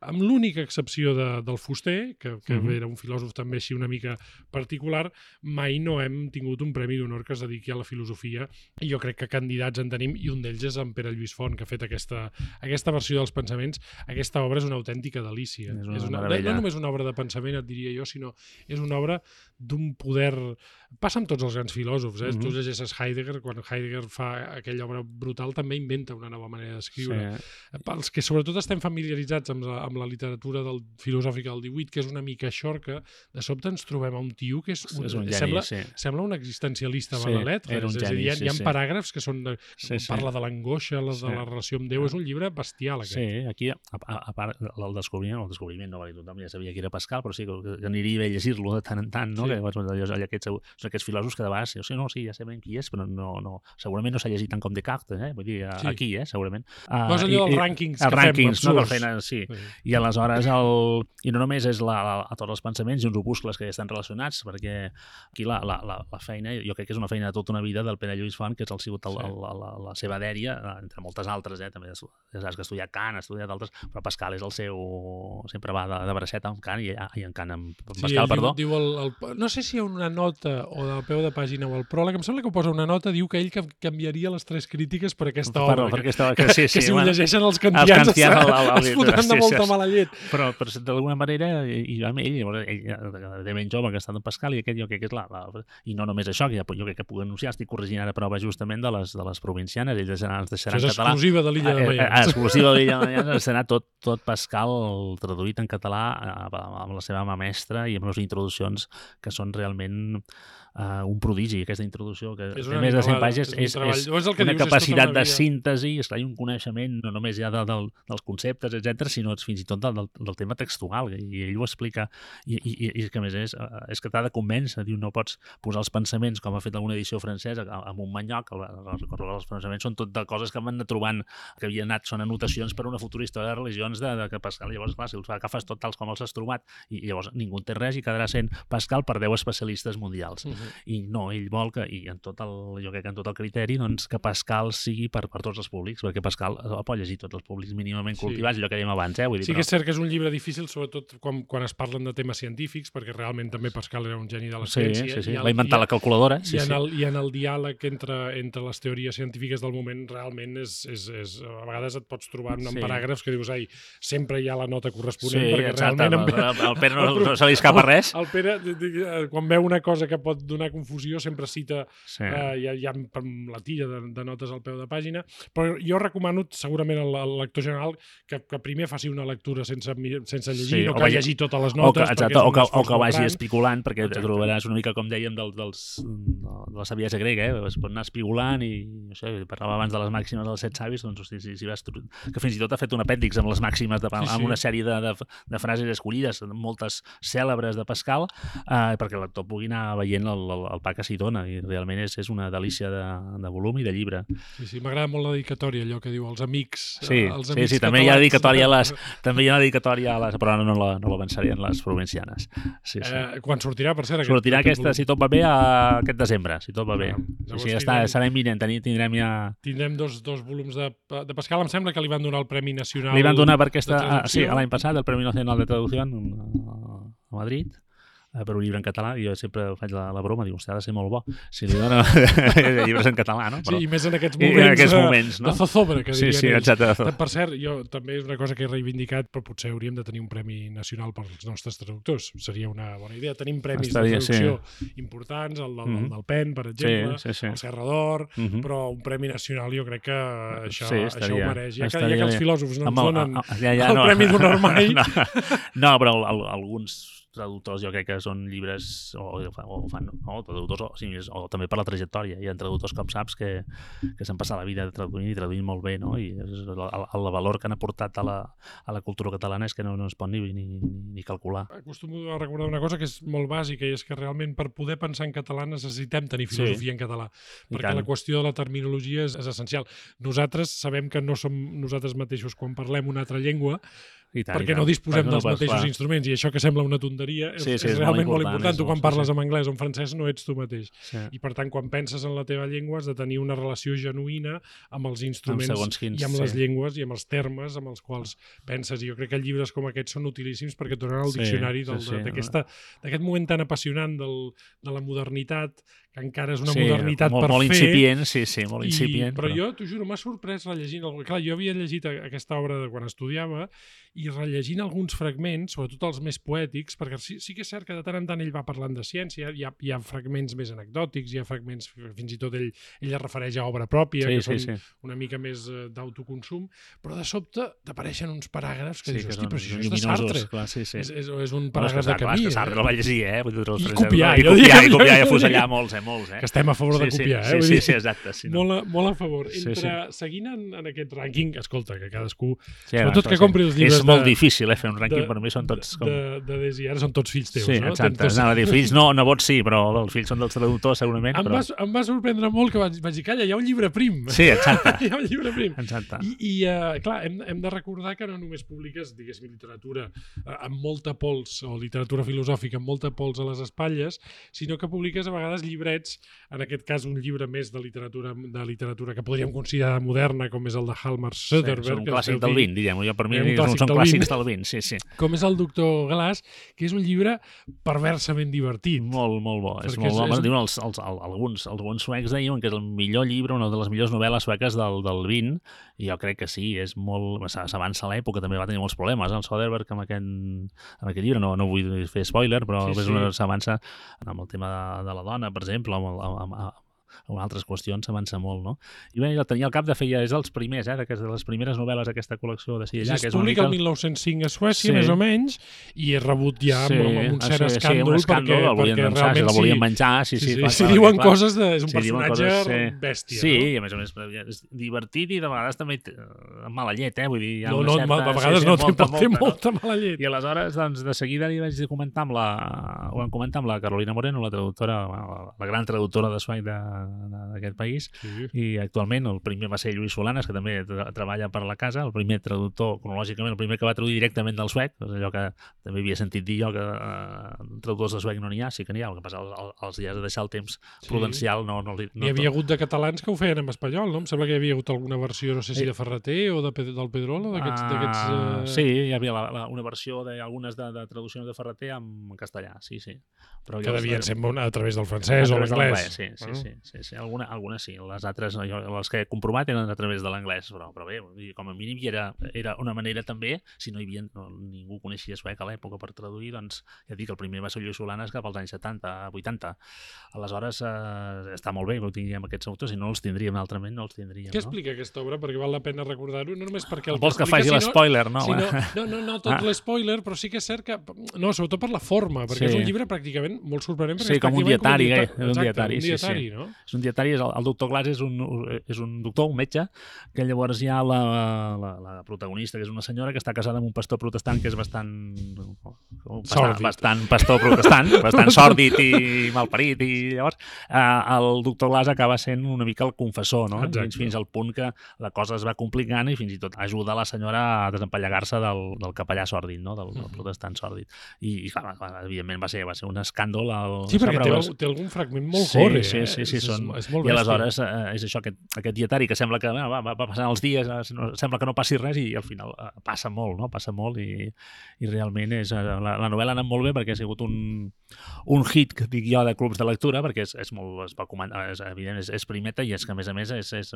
amb l'única excepció de, del Fuster, que, que Mhm. era un filòsof també així una mica particular, mai no hem tingut un premi d'honor que es dediqui a la filosofia, i jo crec que candidats en tenim, i un d'ells és en Pere Lluís Font, que ha fet aquesta, aquesta versió dels pensaments. Aquesta obra és una autèntica delícia. És una és una, no, meravella. no només una obra de pensament, et diria jo, sinó és una obra d'un poder... Passa amb tots els grans filòsofs, eh? Mhm. Tu llegeixes Heidegger, quan Heidegger fa aquella obra brutal també inventa una nova manera d'escriure. Sí. Pels que sobretot estem familiaritzats amb la, amb la literatura del, filosòfica del divuit, que és una mica xorca, de sobte ens trobem a un tio que és un, És un geni, sembla, sí. sembla un existencialista Sí, balalet. era un és a dir, geni, hi ha, sí, hi ha sí. paràgrafs que són de, Sí, sí. parla de l'angoixa, la, Sí. de la relació amb Déu. És un llibre bestial, aquest. Sí, aquí, a, a, a part, el descobriment, el descobriment no va dir tothom, ja sabia que era Pascal, però sí que, que aniria bé a llegir-lo de tant en tant, no? Sí. Que, bueno, allò, allò, aquests, són aquests filòsofs que de vegades, sí, no, sí, ja sabem qui és, però no, no, segurament no s'ha llegit tant com Descartes, eh? Vull dir, Sí. aquí, eh, segurament. Uh, No és allò dels rànquings els que fem, rànquings, no, que absurds. feien, sí. Sí. I aleshores, el, i no només és la, la, a tots els pensaments i uns opuscles que ja estan relacionats, perquè aquí la, la, la, la feina, jo crec que és una feina de tota una vida del Pere Lluís Font, que és el sigut el, Sí. el, la, la, la seva dèria, entre moltes altres, eh? També ja saps que ha estudiat Kant, ha estudiat altres, però Pascal és el seu... sempre va de, de braceta amb Kant i, i en Kant amb, amb Sí, Pascal, ell perdó. Diu, diu el, el, no sé si hi ha una nota o del peu de pàgina o el pròleg, em sembla que posa una nota, diu que ell que canviaria les tres crítiques per aquesta Per, obra. per que, aquesta, que, sí, sí, que si bueno, ho llegeixen els kantians, els kantians es, el- el- el- es fotran sí, de molta sí. mala llet. però, però d'alguna manera, i, i amb ell, llavors, ell, ell de ben jove que ha estat en Pascal, i aquest jo crec que és la, la... I no només això, que ja, jo crec que puc anunciar, estic corregint ara prova justament de les, de les provincianes, ells deixaran, ens deixaran Això en és català. exclusiva de l'Illa de Eh, eh, Mayans. exclusiva de l'Illa de Mayans, serà tot, tot Pascal traduït en català eh, amb la seva mà mestra i amb les introduccions que són realment uh, un prodigi, aquesta introducció que És té una més de cent animalada, pàgines, és un és, treball. és, És el que una dius, és tota capacitat una de vida. síntesi, esclar, i un coneixement no només ja de, del, dels conceptes, etcètera, sinó fins i tot del, del, del tema textual, i ell ho explica, i, i, i que a més és, és que t'ha de convèncer, diu, no pots posar els pensaments, com ha fet alguna edició francesa, amb un manyoc, els pensaments són tot de coses que van anar trobant, que havien anat, són anotacions per una futura història de religions de, de que Pascal, llavors, clar, si els agafes tot tals com els has trobat, i, i llavors ningú en té res i quedarà sent Pascal per deu especialistes mundials. Uh -huh. I no, ell vol que, i en tot el, jo crec que en tot el criteri, doncs, que Pascal sigui per, per tots els públics, perquè Pascal el pot llegir tots els públics mínimament Sí. cultivats, allò que dèiem abans, eh? Vull dir, Sí però... que és cert que és un llibre difícil, sobretot quan, quan es parlen de temes científics, perquè realment també Pascal era un geni de la Sí, ciència. sí, sí. i el- Va inventar i- la calculadora. I, Sí, en sí. el, I en el diàleg entre, entre les teories científiques del moment realment és, és, és, a vegades et pots trobar en Sí. paràgrafs que dius, ai, sempre hi ha la nota corresponent, Sí, perquè exacte. realment... El, el, el Pere no, no se li escapa res. El Pere, d- d- quan veu una cosa que pot donar confusió, sempre cita, Sí. eh, hi ha, hi ha la tilla de, de notes al peu de pàgina, però jo recomano segurament al, al lector general que, que primer faci una lectura sense, mi- sense llegir, Sí, no o que vagi- llegir totes les O que, notes, exacte, perquè és o un que, o esforç que molt vagi gran. espigolant, perquè Exacte. te trobaràs una mica, com dèiem, del, dels, de la saviesa grega, eh? Es pot anar espigolant i, no sé, parlava abans de les màximes dels set savis, doncs, hosti, si, si vas, tro- que fins i tot ha fet un apèndix amb les màximes, de, amb Sí, sí. una sèrie de, de, de frases escollides, moltes cèlebres de Pascal, eh, perquè el lector pugui anar veient el, el, el pa que s'hi dona, i realment és, és una delícia de, de volum i de llibre. Sí, sí, m'agrada molt la dedicatòria, allò que diu els amics. Sí, eh, els sí, amics sí, també hi ha catalans. dedicatòria a les, també hi ha dedicatòria a les, però no, no, la, no l'avançaré en les provincianes. Sí, sí. Eh, quan sortirà, per cert? Sortirà aquest aquesta, si tot va bé, a aquest desembre, si tot va bé. Ah, Sí, llavors sí, està, tindrem- serà imminent, teni- tindrem ja... Tindrem dos, dos volums de, de Pascal. Em sembla que li van donar el Premi Nacional Li van donar per aquesta... de Ah, sí, traducció. l'any passat, el Premi Nacional de Traducció a Madrid, eh, per un llibre en català, i jo sempre faig la, la broma, dic, hòstia, ha de ser molt bo si li donen llibres en català, no? Sí, i més en aquests i moments, en aquests de, moments, no? de zozobra, que Sí, dirien sí, ells. exacte. Per cert, jo també és una cosa que he reivindicat, però potser hauríem de tenir un premi nacional per als nostres traductors. Seria una bona idea. Tenim premis Estaria, de traducció importants, el del, Mhm. el del Pen, per exemple, Sí, sí, sí. el Serra d'Or, Mhm. però un premi nacional jo crec que això, Sí, això estaria- ho mereix. Ja que, ja estaria que els bé. filòsofs no ens Amb el- donen a- a- ja, ja, el no. Premi d'Honor mai. No, no, però el, el, alguns traductors jo crec que són llibres o, o fan, no, traductors o, sí, o també per la trajectòria. Hi ha traductors, com saps, que, que s'han passat la vida traduint i traduint molt bé, no? I és el, el valor que han aportat a la, a la cultura catalana és que no, no es pot ni, ni, ni calcular. Acostumo a recordar una cosa que és molt bàsica, i és que realment per poder pensar en català necessitem tenir filosofia sí. en català, perquè la qüestió de la terminologia és, és essencial. Nosaltres sabem que no som nosaltres mateixos quan parlem una altra llengua, I tant, perquè i tant. no disposem no dels mateixos clar. instruments, i això que sembla una tonteria és, sí, sí, és, és realment molt important. Molt important. Tu quan parles sí, sí. en anglès o en francès no ets tu mateix. Sí. I per tant, quan penses en la teva llengua has de tenir una relació genuïna amb els instruments amb quins, i amb les sí. llengües i amb els termes amb els quals penses. I jo crec que llibres com aquests són utilíssims perquè et donen el sí, diccionari del, sí, sí. d'aquest moment tan apassionant del, de la modernitat, que encara és una sí, modernitat molt, per molt fer. Molt incipient, sí, sí, molt incipient. I, però, però jo, t'ho juro, m'ha sorprès rellegint... Clar, jo havia llegit aquesta obra de quan estudiava i rellegint alguns fragments, sobretot els més poètics, perquè sí, sí que és cert que de tant en tant ell va parlant de ciència, hi ha, hi ha fragments més anecdòtics, hi ha fragments, fins i tot ell, ell es refereix a obra pròpia, sí, que sí, són sí. una mica més d'autoconsum, però de sobte t'apareixen uns paràgrafs que sí, dius, que hosti, però això és de Sartre. Clar, sí, sí. És, és, és un paràgraf de Camí. Clar, és que Sartre el va llegir, eh? I copiar, i copiar, i copiar i afusellar molts, eh? Molts, eh? Que estem a favor de copiar, sí, eh? Sí, sí, sí, exacte. Sí, no. molt, a, molt a favor. Entre, sí, sí. Seguint en, en aquest rànquing, escolta, que cadascú... Sí, sobretot que compri els llibres... És molt de, difícil, eh, fer un rànquing, de, per mi són tots... Com... De, de, de, de ara són tots fills teus, sí, no? Exacte, tots... anava a dir, fills no, nebots sí, però els fills són dels traductors, segurament. Em, però... va, em va sorprendre molt que vaig, vaig dir, calla, hi ha un llibre prim. Sí, exacte. Hi ha un llibre prim. Exacte. I, i uh, clar, hem, hem de recordar que no només publiques, diguéssim, literatura uh, amb molta pols, o literatura filosòfica amb molta pols a les espatlles, sinó que publiques a vegades llibrets, en aquest cas un llibre més de literatura, de literatura que podríem considerar moderna, com és el de Hjalmar Söderberg. Sí, és un clàssic del vint, diguem, jo per mi un són, són clàssics del vint, sí, sí. Com és el Doctor Glass, que és un llibre perversament divertit. Molt, molt bo. És molt bo. És... Diuen els, els, els, alguns, els bons suecs diuen que és el millor llibre, una de les millors novel·les sueques del, del vint, i jo crec que sí, és molt... S'avança a l'època, també va tenir molts problemes, el Söderberg amb aquest, amb aquest llibre, no, no vull fer spoiler, però sí, sí. s'avança amb el tema de, de la dona, per exemple, amb, amb, amb o altres qüestions s'avança molt, no? I bé, el tenia al cap de fer, ja és dels primers, eh, de les primeres novel·les d'aquesta col·lecció de Sillallà. Sí, es publica el mil nou-cents cinc a Suècia, sí. més o menys, i és rebut ja sí, amb, amb un cert sí, escàndol, sí, un escàndol perquè, el volien perquè llançar, realment el volien menjar, sí, sí. sí, sí, clar, sí clar, diuen clar. coses de... És un sí, personatge coses, sí. bèstia, sí, no? Sí, i a més a més és divertit i de vegades també amb mala llet, eh? Vull dir, hi ha no, una no, certa... a vegades sí, no, sí, molta, té molta, molta, no? mala llet. I aleshores, doncs, de seguida li vaig comentar amb la... ho vam comentar amb la Carolina Moreno, la traductora, la gran traductora de suec d'aquest país, sí. I actualment el primer va ser Lluís Solanes, que també tra treballa per la casa, el primer traductor, cronològicament, el primer que va traduir directament del suec, és allò que també havia sentit dir jo, que eh, traductors de suec no n'hi ha, sí que n'hi ha, el que passa, els, els hi has de deixar el temps sí. prudencial. No, no, no, hi havia hagut de catalans que ho feien en espanyol, no? Em sembla que hi havia hagut alguna versió, no sé si de Ferreter o de, del Pedrolo, d'aquests... Uh, uh... Sí, hi havia la, la, una versió d'algunes de, de traduccions de Ferreter en castellà, sí, sí. Però que devien ser a través del francès o l'anglès. Sí, sí, bueno. sí, sí, sí. Alguna, algunes sí, les altres, jo, les que he comprovat eren a través de l'anglès, però, però bé, com a mínim era, era una manera també, si no hi havia, no, ningú coneixia suec a l'època per traduir, doncs ja dic, el primer va ser Lluís Solanes cap als anys setanta, vuitanta. Aleshores eh, està molt bé que ho tinguem aquests autors, si no els tindríem altrament, no els tindríem. Què explica no? aquesta obra? Perquè val la pena recordar-ho, no només perquè el Vols que, que faci l'espoiler, no? Si no, no, no, no tot ah. l'espoiler, però sí que és cert que... No, sobretot per la forma, perquè sí. és un llibre pràcticament molt sorprenent. Sí, com un dietari, com un dietari, eh? Exacte, un dietari, un dietari, sí, sí. no? És un dietari, és el, el doctor Glass és un, és un doctor, un metge, que llavors hi ha la, la, la protagonista, que és una senyora que està casada amb un pastor protestant que és bastant... bastant, bastant pastor protestant, bastant sòrdid i malparit, i llavors eh, el doctor Glass acaba sent una mica el confessor, no? Fins, fins al punt que la cosa es va complicant i fins i tot ajuda la senyora a desempallegar-se del, del capellà sòrdid, no? Del, del protestant sòrdid. I, i clar, evidentment va ser, va ser un escàndol. El, sí, perquè té, el, té algun fragment molt sí, gore. Sí, sí, sí, és, són, és, és molt i aleshores eh, és això, aquest, aquest dietari que sembla que va, va, va passant els dies, no, sembla que no passi res i al final eh, passa molt, no? Passa molt i, i realment és, eh, la, la novel·la ha anat molt bé perquè ha sigut un, un hit, que dic jo, de clubs de lectura, perquè és, és molt, es va comentar, és, evident, és, és primeta i és que a més a més és, és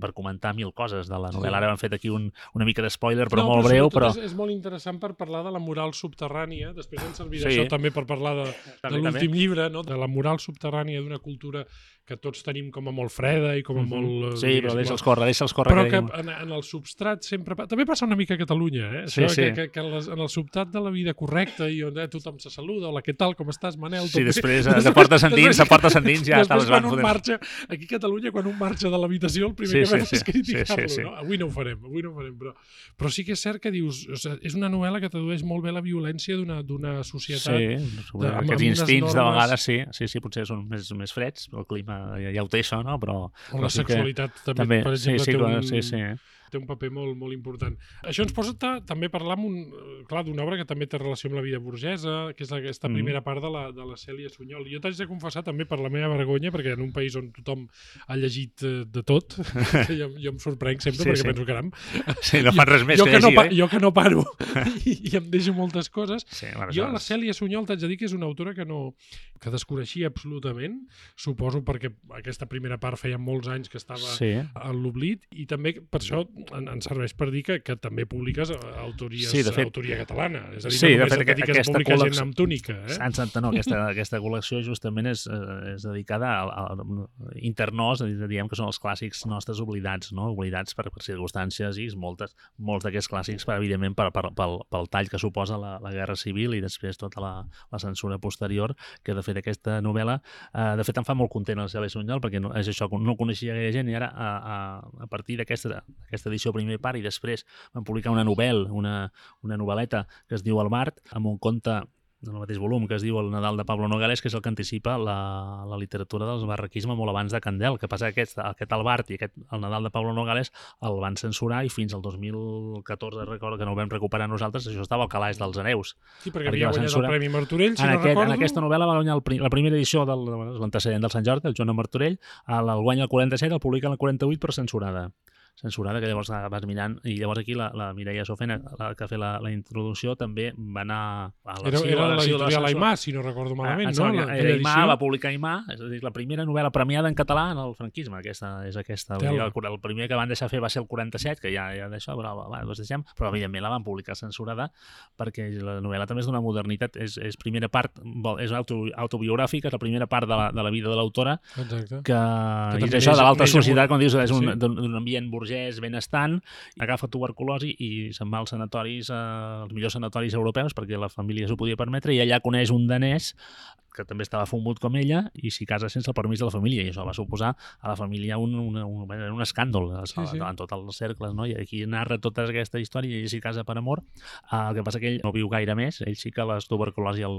per comentar mil coses de la novel·la. Ara hem fet aquí un, una mica d'espoiler, però no, molt però breu. Però... És, és molt interessant per parlar de la moral subterrània, després ens servirà sí. això també per parlar de, de l'últim llibre, no? De la moral subterrània d'una cultura que tots tenim com a molt freda i com a molt... Sí, però deixa'ls córrer, deixa'ls córrer. Però que, que en, en el substrat sempre... També passa una mica a Catalunya, eh? Sí, Això, sí. Que, que, que les, en el substrat de la vida correcta i on eh, tothom se saluda, hola, què tal, com estàs, Manel? Sí, després de portes endins, de portes endins ja després, te les van quan un fotent. marxa, aquí a Catalunya, quan un marxa de l'habitació, el primer Sí, que sí, fem sí. és criticar-lo, Sí, sí, sí. no? Avui no ho farem, avui no ho farem, però, però sí que és cert que dius, o sigui, és una novel·la que tradueix molt bé la violència d'una societat. Sí, de, amb, aquests amb instints normes... de vegades sí, sí, sí, potser són més, més freds, el clima ja, ja ho té això, no? Però, O però la sí sexualitat que... també, per exemple, sí, sí, té, un, sí, sí. té un paper molt, molt important. Això ens posa també a parlar amb un, clar, d'una obra que també té relació amb la vida burgesa, que és aquesta Mm. primera part de la, de la Cèlia Sunyol. Jo t'haig de confessar també per la meva vergonya, perquè en un país on tothom ha llegit eh, de tot, jo, jo em sorprenc sempre, Sí, perquè sí. penso, caram, Sí, no fan res més jo que que no, llegir, pa, eh? jo que no paro i, i em deixo moltes coses. Sí, bueno, Jo, això la és- Cèlia Sunyol, t'haig de dir que és una autora que no que desconeixia absolutament, suposo perquè aquesta primera part feia molts anys que estava Sí. a l'oblit, i també per això en, en serveix per dir que, que també publiques autories, Sí, de fet- autoria catalana. És a dir, Sí, no de només fet, et dediques a aquesta publicar col·lecció- gent amb túnica. Eh? Exacte, no, aquesta, aquesta col·lecció justament és, eh, és dedicada a, a, a internós, diguem que són els clàssics nostres oblidats, no? Oblidats per, per circumstàncies i moltes, molts d'aquests clàssics, per, evidentment, per, per, pel, pel tall que suposa la, la Guerra Civil i després tota la, la censura posterior, que de fet aquesta novel·la, eh, de fet em fa molt content el Cèlia Sunyol, perquè no, és això, no coneixia gaire gent, i ara a, a, a partir d'aquesta aquesta edició primer part i després van publicar una novel·la, una, una novel·leta que es diu El Bart, amb un conte en el mateix volum, que es diu El Nadal de Pablo Nogales, que és el que anticipa la, la literatura del barraquisme molt abans de Candel. Que passa que aquest, aquest El Bart i aquest El Nadal de Pablo Nogales el van censurar i fins al dos mil catorze, recordo que no ho vam recuperar nosaltres, això estava al calaix dels hereus. Sí, perquè, perquè havia la guanyat censura- el Premi Martorell, si En, no aquest, recordo. en aquesta novel·la va guanyar el, pri- la primera edició del l'antecedent del Sant Jordi, el Joan Martorell, el, el guanya el quaranta-set, el publica el quaranta-vuit, però censurada. censurada, que llavors vas mirant, i llavors aquí la, la Mireia Sofena, la que ha fet la, la introducció, també va anar a Era, era l'editorial Aimà, si no recordo malament, ah, no? La, La, era Aimà, va publicar Aimà, és a dir, la primera novel·la premiada en català en el franquisme, aquesta és aquesta. El, el primer que van deixar fer va ser el quaranta-set, que ja, ja d'això, però va, doncs deixem, però evidentment la van publicar censurada, perquè la novel·la també és d'una modernitat, és, és primera part, és auto, autobiogràfica, és la primera part de la, de la vida de l'autora, que, que és això de l'alta societat, com dius, és un, sí. d'un ambient burgès benestant, agafa tuberculosi i se'n va als sanatoris, eh, els millors sanatoris europeus, perquè la família s'ho podia permetre, i allà coneix un danès que també estava fumut com ella, i s'hi casa sense el permís de la família, i això va suposar a la família un, un, un, un escàndol sí, sí. en tots els cercles, no? I aquí narra tota aquesta història, i ell s'hi casa per amor. Uh, el que passa que ell no viu gaire més, ell sí que la tuberculosi el,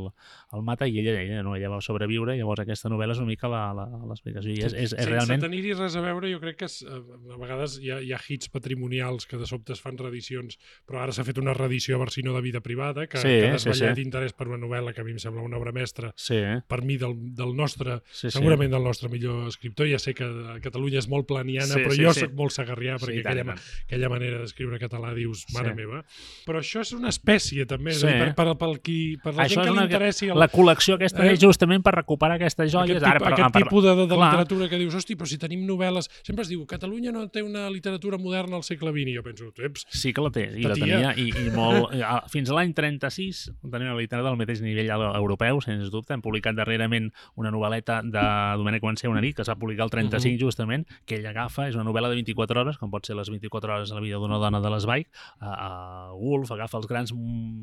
el mata, i ella, ella, no, ella va sobreviure, i llavors aquesta novel·la és una mica l'explicació, i és, és, és sense realment... Sense tenir-hi res a veure, jo crec que és, a vegades hi ha, hi ha hits patrimonials que de sobte es fan reedicions, però ara s'ha fet una reedició a Barcino de Vida Privada, que, sí, que ha desvetllat sí, sí. interès per una novel·la que a mi em sembla una obra mestra, sí. per mi del, del nostre, sí, sí. segurament del nostre millor escriptor. Ja sé que Catalunya és molt planiana, sí, però sí, jo sí. soc molt sagarrià, perquè sí, aquella, tant, aquella manera d'escriure català dius, mare sí. meva. Però això és una espècie, també, sí. és dir, per, per, per, qui, per la això gent que una, li interessi... El... La col·lecció aquesta eh? és justament per recuperar aquestes joies. Aquest, ara, per, per, aquest per, tipus de, de, de literatura que dius, hosti, però si tenim novel·les... Sempre es diu, Catalunya no té una literatura moderna al segle vint, i jo penso, eps... Sí que la té, i la tenia, i, i molt... Fins a l'any trenta-sis tenia una literatura del mateix nivell europeu, sens dubte. Hem publicat darrerament una novel·leta de Domènec Guansé, Una nit, que s'ha publicat el trenta-cinc, uh -huh. justament, que ell agafa, és una novel·la de vint-i-quatre hores, com pot ser les vint-i-quatre hores de la vida d'una dona de l'Esbaig, a, a Woolf agafa els grans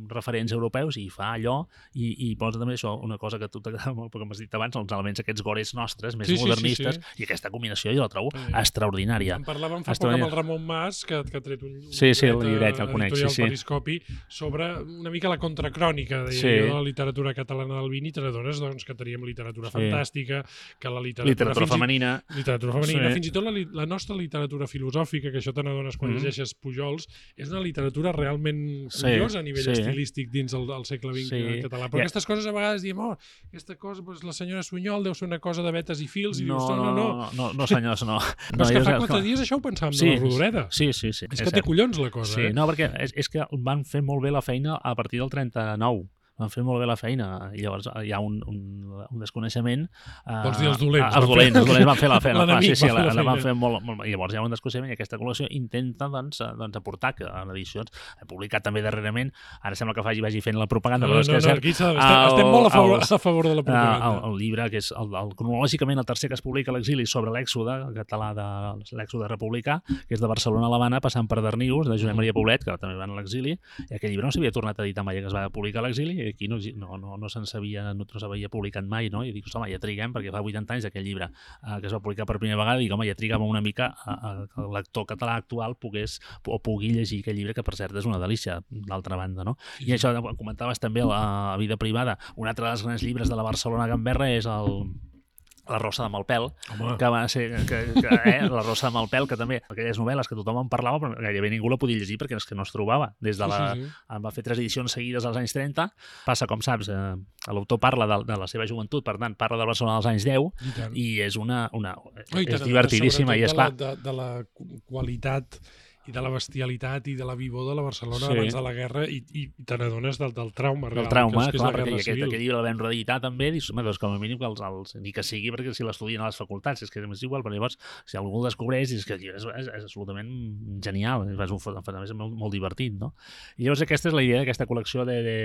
referents europeus i fa allò, i, i posa també això, una cosa que a tu t'agrada molt, perquè m'has dit abans, els elements aquests gores nostres, més sí, modernistes, sí, sí, sí. i aquesta combinació jo la trobo sí. extraordinària. En parlàvem fa poc amb el Ramon Mas, que, que ha tret un, un sí, sí, el llibret, el conec, sí, sí. Periscopi, sobre una mica la contracrònica de, sí. de la literatura catalana del vint, i te n'adones doncs, que teníem literatura sí. fantàstica, que la literatura, literatura femenina, i, literatura femenina sí. fins i tot la, la nostra literatura filosòfica, que això te n'adones quan mm. llegeixes Pujols, és una literatura realment curiosa sí. a nivell sí. estilístic dins el, el segle vint sí. català. Però yeah. aquestes coses a vegades diem, oh, aquesta cosa, doncs, la senyora Sunyol deu ser una cosa de vetes i fils, i no, dius, no, no, no. No, no, no senyors, no. Però no, és que fa quatre clar. dies això ho pensàvem sí, de la Rodoreda. Sí, sí, sí. És, és que té collons la cosa, sí, eh? No, perquè és, és que van fer molt bé la feina a partir del trenta-nou. van fer molt bé la feina, i llavors hi ha un, un, un desconeixement. Uh, Vols dir els dolents? Els dolents, els dolents van fer la feina. L'enemic Sí, sí, va fer la la, la van feina. fer molt, molt, i llavors hi ha un desconeixement i aquesta col·lecció intenta doncs, doncs, aportar que en edicions, he publicat també darrerament, ara sembla que faci, vagi fent la propaganda, No, però és no, que és no, cert, aquí s'ha- estem, estem molt a favor, els- a favor de la Uh, propaganda. el, el llibre, que és el, el, cronològicament el tercer que es publica a l'exili sobre l'èxode català, de l'èxode republicà, que és de Barcelona a l'Havana, passant per Darnius, de Josep Maria Poblet, que també van a l'exili, i aquell llibre no s'havia tornat a editar mai, que es va publicar a l'exili, i aquí no, no, no, no se'n sabia, no, no s'havia publicat mai, no? I dic, home, ja triguem, perquè fa vuitanta anys aquell llibre uh, que es va publicar per primera vegada, i dic, home, ja trigàvem una mica a, a, que el lector català actual pogués o pugui llegir aquell llibre, que per cert és una delícia, d'altra banda, no? I això, comentaves també la vida privada, un altre dels grans llibres de la Barcelona Gamberra és el La Rosa de Malpel, Home. que va ser, que, que, eh, La Rosa de Malpel, que també, aquelles novel·les que tothom en parlava, però gairebé ningú la podia llegir perquè és que no es trobava. Des de la, Sí, sí, sí. En va fer tres edicions seguides als anys trenta, passa, com saps, eh, l'autor parla de, de la seva joventut, per tant, parla de Barcelona dels anys deu, I tant. i és una... una Oh, i és tant, divertidíssima, i és clar... De, la- de, de la qualitat i de la bestialitat i de la vivor de la Barcelona Sí. abans de la guerra, i, i te n'adones del, del trauma real, Del trauma, que és, que és clar, la perquè guerra aquest, civil. aquest llibre el vam reeditar també, dius, home, doncs com a mínim que els, els, ni que sigui perquè si l'estudien a les facultats, és que és igual, però llavors, si algú el descobreix, és que el llibre és, és, és absolutament genial, és, és, un, és molt, molt divertit, no? I llavors aquesta és la idea d'aquesta col·lecció de, de,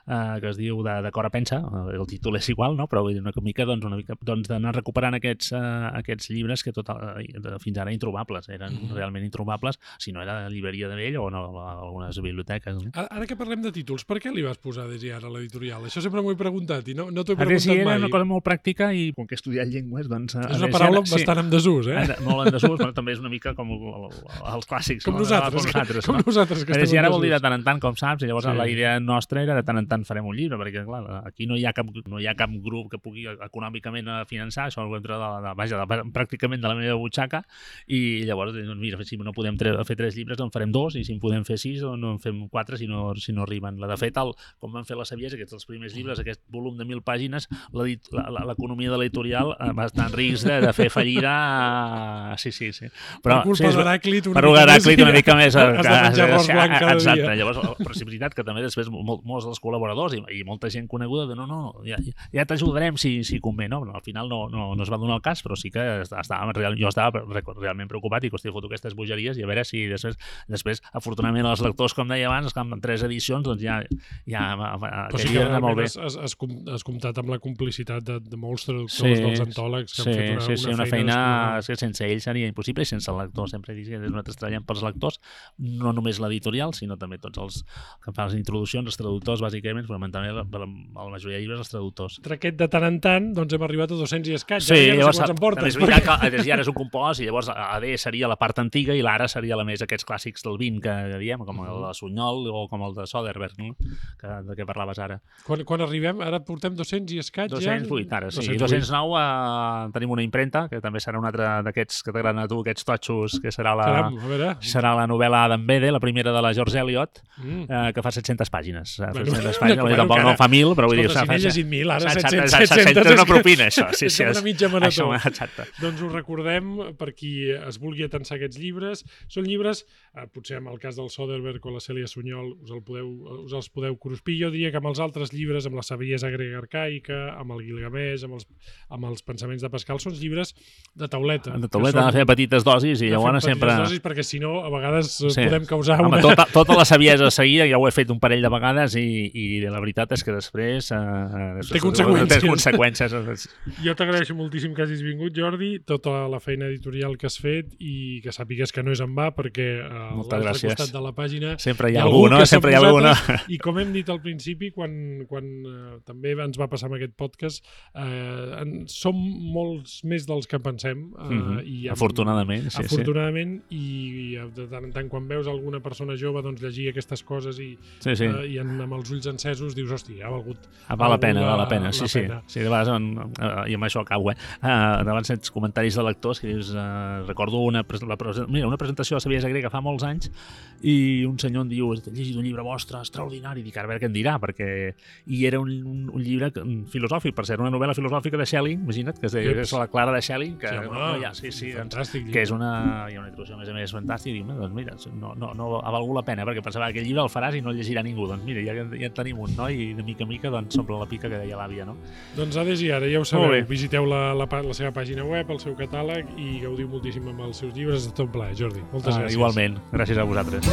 uh, que es diu de, de Cor a Pensa, el títol és igual, no? Però vull dir, una mica, doncs, una mica doncs, d'anar recuperant aquests, uh, aquests llibres que tot, uh, fins ara introbables, eren mm. realment introbables, si no era llibreria de vell o en algunes biblioteques. No? Ara, ara que parlem de títols, per què li vas posar Desiar a l'editorial? Això sempre m'ho he preguntat i no, no t'ho he A preguntat Desiar mai. era una cosa molt pràctica i com que he estudiat llengües, doncs... És una paraula sí. bastant en desús, eh? Molt en desús, però també és una mica com el, el, els clàssics. Com no? nosaltres, com nosaltres, com no? nosaltres que estem Desiar en vol dir de desús. tant en tant, com saps, i llavors Sí. la idea nostra era de tant en tant farem un llibre, perquè clar, aquí no hi ha cap, no hi ha cap grup que pugui econòmicament finançar, això ho entra de, de, vaja, de, pràcticament de la meva butxaca, i llavors, doncs, mira, si no podem tre fer tres llibres, en farem dos, i si en podem fer sis, o no en fem quatre si no, si no arriben. La, de fet, el, com van fer la Saviesa, aquests els primers llibres, aquest volum de mil pàgines, l'economia de l'editorial va estar en risc de, de fer fallida. Sí, sí, sí. Però, per culpa sí, d'Heràclit per Heràclit una mica més. Has de menjar arròs blanc cada exacte. dia. Llavors, però és veritat que també després mol, molts dels col·laboradors i, i molta gent coneguda de no, no, ja, ja t'ajudarem si, si convé, no? Al final no, no, no es va donar el cas, però sí que estava, jo estava realment preocupat i hòstia, foto aquestes bogeries i a veure si després, després afortunadament els lectors, com deia abans, que en tres edicions, doncs ja, ja però sí que era molt bé. has, has, has, has comptat amb la complicitat de, de molts traductors, sí, dels antòlegs que sí, han fet una, sí, sí, una, una feina, feina que sense ells seria impossible i sense el lector, sempre dic que nosaltres treballem pels lectors, no només l'editorial, sinó també tots els que fan les introduccions, els traductors, bàsicament, fonamentalment la, la majoria de llibres, els traductors. Entre aquest de tant en tant, doncs hem arribat a dos-cents i escaig. Sí, ja no llavors, sé quants en portes. és veritat que a Desiar és un compost i llavors A D seria la part antiga i l'Ara seria la més aquests clàssics del vint que diem, com el de Sunyol o com el de Soderbergh, no? que, de què parlaves ara. Quan, quan arribem, ara portem dos-cents i escaig dos-cents vuit, ja? ara, sí. dos-cents vuit. dos-cents nou eh, tenim una impremta, que també serà un altre d'aquests que t'agraden a tu, aquests totxos, que serà la, Caram, a veure. serà la novel·la Adam Bede, la primera de la George Eliot, Mm. eh, que fa set-centes pàgines. Eh, Bueno, set-centes pàgines, bueno, tampoc encara. no fa mil, però vull dir... Escolta, si fa- n'he llegit mil, ara Exacte, set-cents, exacte, set-cents, és una és que- propina, això. Sí, és sí, com una mitja marató. Això, exacte. Doncs us recordem, per qui es vulgui atensar aquests llibres, són llibres, eh, potser amb el cas del Soderbergh o la Cèlia Sunyol us, el podeu, us els podeu cruspir. Jo diria que amb els altres llibres, amb la Saviesa grega arcaica, amb el Gilgamesh, amb els, amb els pensaments de Pascal, són llibres de tauleta. De tauleta, han de fer petites dosis i llavors sempre... Dosis, perquè si no, a vegades sí. Sí. podem causar Home, una... tota, tota la saviesa seguida, ja ho he fet un parell de vegades i, i la veritat és que després... Eh, Té conseqüències. Té conseqüències. Jo t'agraeixo moltíssim que hagis vingut, Jordi, tota la feina editorial que has fet i que sàpigues que no és en va, perquè a l'altre costat de la pàgina sempre hi ha algú, no? Sempre hi ha algú, no? I com hem dit al principi, quan, quan eh, també ens va passar amb aquest podcast, eh, en, som molts més dels que pensem. Eh, mm-hmm. i amb, afortunadament, sí, afortunadament, sí. I de tant en tant, quan veus alguna persona jove doncs, llegir aquestes coses i, sí, sí. Eh, i en, amb els ulls encesos dius, hòstia, ha valgut... Ah, val la pena, val la pena, la sí, sí. pena. sí de vegades, en, i amb això acabo, eh? Uh, davant sents comentaris de lectors que dius, uh, recordo una, la, mira, una presentació introducció a Saviesa Grega fa molts anys i un senyor em diu, he llegit un llibre vostre extraordinari, dic, a veure què em dirà, perquè... I era un, un, un llibre filosòfic, per ser una novel·la filosòfica de Schelling, imagina't, que és, de, és la Clara de Schelling, que, sí, no, ja, sí, sí, fantàstic, doncs, que és una, hi ha una introducció a més a més fantàstica, i dic, doncs mira, no, no, no ha valgut la pena, perquè pensava que aquest llibre el faràs i no el llegirà ningú, doncs mira, ja, ja en tenim un, no? I de mica a mica doncs s'omple la pica que deia l'àvia, no? Doncs Ades i ara, ja ho sabeu, visiteu la, la, la seva pàgina web, el seu catàleg i gaudiu moltíssim amb els seus llibres, és tot un plaer, Jordi. Moltes ah, gràcies. Igualment, gràcies a vosaltres.